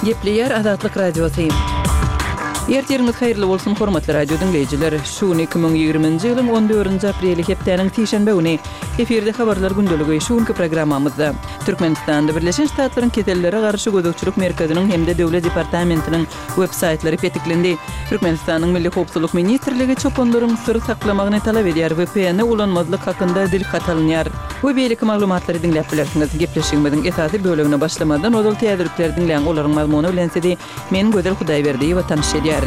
Gepleýär Azatlyk Radiosy. Ertiriňiz haýyrly bolsun, hormatly radio diňleýjiler! Şu gün 2020-nji ýylyň on dördünji apreli hepdäniň sişenbe güni. Efirde habarlar gündeligi şu günki programmamyzda. Türkmenistanda Birleşen Ştatlaryň Kesellere garşy gözegçilik merkeziniň hem-de Döwlet departamentiniň web saýtlary petiklendi. Türkmenistanyň Milli howpsuzlyk ministrligi çopanlaryň syr saklamagyny talap edýär, VPN-i ulanmazlyk hakynda dilhat alynýar we beýleki maglumatlary diňläp bilersiňiz. Gepleşigimiziň esasy bölegine başlamazdan ozal täzelikleri diňläň, olaryň mazmuny bilen sizi men Gözel Hudaýberdiýewa tanyş edýärin.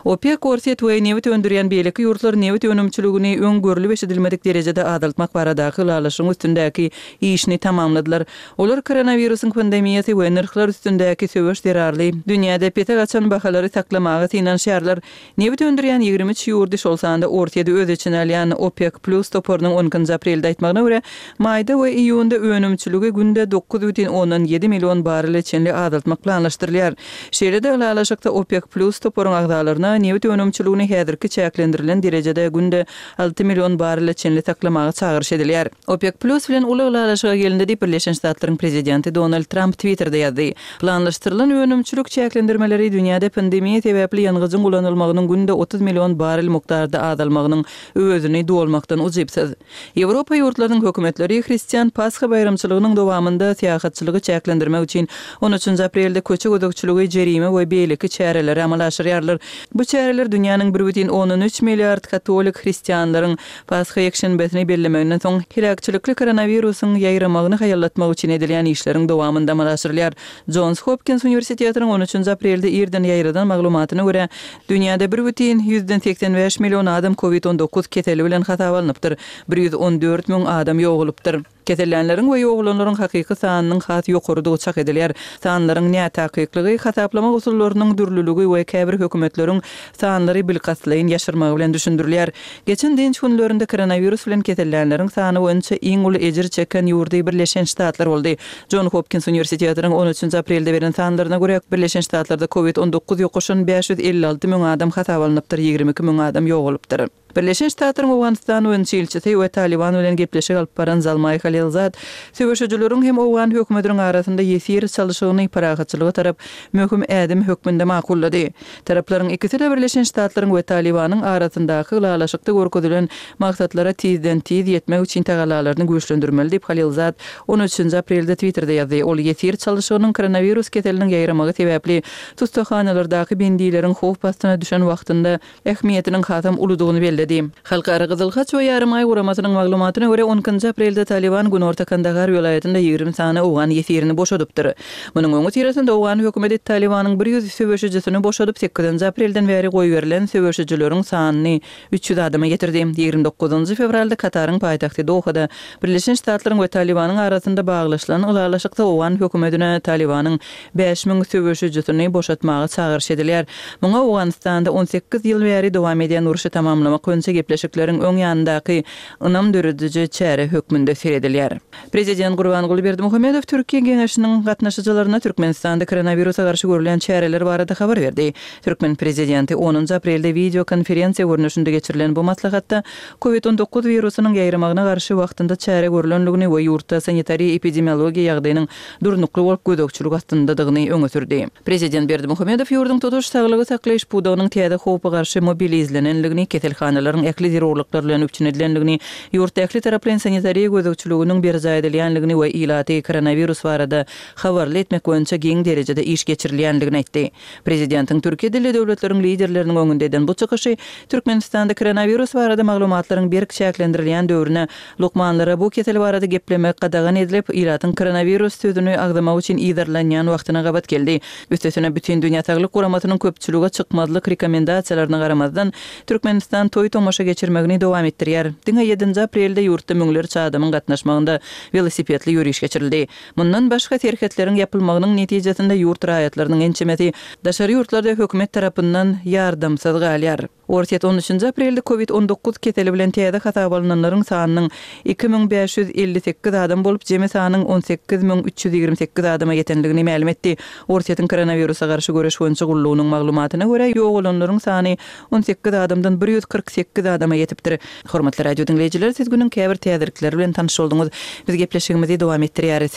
OPEK, Orsýet we nebit öndürýän beýleki ýurtlar nebit önümçiligini öň görlüp-eşidilmedik derejede azaltmak baradaky ylalaşygyň üstündäki işini tamamladylar. Olar koronawirusyň pandemiýasy we nyrhlar üstündäki söweş zerarly dünýäde pese gaçan bahalary saklamaga synanyşýarlar. Nebit öndürýän 23 ýurdy, şol sanda Orsýeti öz içine alýan OPEK plus toparynyň on ikinji aprelde aýtmagyna görä, maýda we iýunda önümçiligi günde 9,7 million barrele çenli azaltmak planlaşdyrylýar. Şeýle-de ylalaşykda OPEK plus toparyň agzalaryna nebit önümçiligini häzirki çäklendirilen derejede günde 6 million barrele çenli saklamaga çagyryş edilýär. OPEK Plus bilen uly ylalaşyga gelindi diýip, Birleşen Ştatlaryň prezidenti Donald Tramp Twitterde ýazdy. Planlaşdyrylan önümçilik çäklendirmeleri dünýäde pandemiýa sebäpli ýangyjyň ulanylmagynyň günde 30 million barrel mukdarda azalmagynyň öwezini dolmakdan ujypsyz. Ýewropa ýurtlarynyň hökümetleri hristian Pasha baýramçylygynyň dowamynda syýahatçylygy çäklendirmek üçin on üçünji aprelde köçe gözegçiligi, jerime we beýleki çäreleri amala aşyrýarlar. Bu çäreler dünýäniň bir bütin ondan üç milliard katolik hristianlaryň Pasha ýekşenbesini bellemeginden soň, heläkçilikli koronawirusyň ýaýramagyny haýallatmak üçin edilýän işleriň dowamynda amala aşyrylýar. Jons Hopkins uniwersitetiniň on üçünji aprelde irden ýaýradan maglumatyna görä, dünýäde bir bütin 185 million adam covid 19 keseli bilen hasaba alnypdyr, 114 müň adam ýogalypdyr. Kesellänleriň we ýogalanlaryň hakyky sanynyň has ýokarydygy çak edilýär. Sanlaryň nätakyklygy, hasaplama usullarynyň dürlüligi we käbir hökümetleriň sanlary bilkastlaýyn ýaşyrmagy bilen düşündirilýär. Geçen dynç günlerinde koronawirus bilen kesellänleriň sany boýunça iň uly ejir çeken ýurdy Birleşen Ştatlar boldy. Jon Hopkins uniwersitetiniň on üçünji aprelde beren sanlaryna görä, Birleşen Ştatlarda covid 19 ýokaşan 556 müň adam hasaba alnypdyr, 22 müň adam ýogalypdyr. Birleşen Ştatlaryň Owganystan boýunça ilçisi we Talyban bilen gepleşik alyp baran Zalmaý Halilzad söweşijileriň hem owgan hökümetiniň arasynda ýesir çalyşygyny parahatçylyga tarap möhüm ädim hökmünde makullady. Taraplaryň ikisi-de Birleşen Ştatlaryň we Talybanyň arasyndaky ylalaşykda görkezilen maksatlara tizden-tiz ýetmek üçin tagallalaryny güýçlendirmeli diýip, Halilzad on üçünji aprelde Twitterde ýazdy. Ol ýesir çalyşygynyň koronawirus keseliniň ýaýramagy sebäpli tussaghanalardaky bendileriň howp astyna düşen wagtynda ähmiýetiniň hasam uludygyny belledi. Halkara Gyzyl Haç we Ýarymaý guramasynyň maglumatyna görä, on ikinji aprelde Talyban günorta Kandahar welaýatynda 20 sany owgan ýesirini boşadypdyr. Munuň öňüsyrasynda owgan hökümeti Talybanyň 100 söweşijisini boşadyp, sekizinji aprelden bäri goýberilen söweşijileriň sanyny 300 adama ýetirdi. 29-njy fewralda Kataryň paýtagty Dohada Birleşen Ştatlaryň we Talybanyň arasynda baglaşylan ylalaşykda owgan hökümetine Talybanyň 5000 söweşijisini boşatmaga çagyryş edilýär. Muňa Owganystanda 18 ýyl bäri dowam edýän urşy tamamlamak boýunça gepleşikleriň öň ýanyndaky ynam dörediji çäre hökmünde seredilýär. Prezident Gurbanguly Berdimuhamedow Türkiýe Geňeşiniň gatnaşyjylaryna Türkmenistanda koronawirusa garşy görülýän çäreler barada habar berdi. Türkmen prezidenti onunjy aprelde wideokonferensiýa görnüşinde geçirilen bu maslahatda Covid 19 wirusynyň ýaýramagyna garşy wagtynda çäre görlendigini we ýurtda sanitariýa-epidemiologiýa ýagdaýynyň durnukly bolup gözegçilik astyndadygyny öňe sürdi. Prezident Berdimuhamedow ýurduň tutuş saglygy saklaýyş pudagynyň täze howpa garşy mobilizlenendigini, keselhanalaryň ähli zerurlyklar bilen üpjün edilendigini, ýurtda ähli taraplaýyn sanitariýa gözegçiliginiň berjaý edilýändigini we ilaty koronawirus barada habarly etmek boýunça giň derejede iş geçirilýändigini aýtdy. Prezidentiň türki dilli döwletleriň liderleriniň öňünde eden bu çykyşy Türkmenistanda koronawirus barada maglumatlaryň berk çäklendirilýän döwrüne Lukmanlara bu kesel barada geplemek gadagan edilip, ilatyň koronawirus sözüni agzamagy üçin yzarlanýan wagtyna gabat geldi. Üstesine, Bütindünýä Saglyk Guramasynyň köpçülige çykmazlyk rekomendasiýalaryna garamazdan, Türkmenistan toý-tomaşa geçirmegini dowam etdirýär. Diňe ýedinji aprelde ýurtda müňlerçe adamyň gatnaşmagynda welosipedli ýöriş geçirildi. Mundan başga, serhetleriň ýapylmagynyň netijesinde ýurt raýatlarynyň ençemesi daşary ýurtlarda hökümet tarapyndan ýardamsyz galýar. Orsýet on üçünji aprelde covid 19 keseli bilen täze hasaba alnanlaryň sanynyň 2558 adam bolup, jemi sanyň 18328 adama ýetendigini mälim etdi. Orsýetiň koronawirusa garşy göreş boýunça gullugynyň maglumatyna görä, ýogalanlaryň sany 18 adamdan 148 adama ýetipdir. Hormatly radio diňleýjiler, siz günüň käbir täzelikleri bilen tanyş bolduňyz. Biz gepleşigimizi dowam etdirýäris.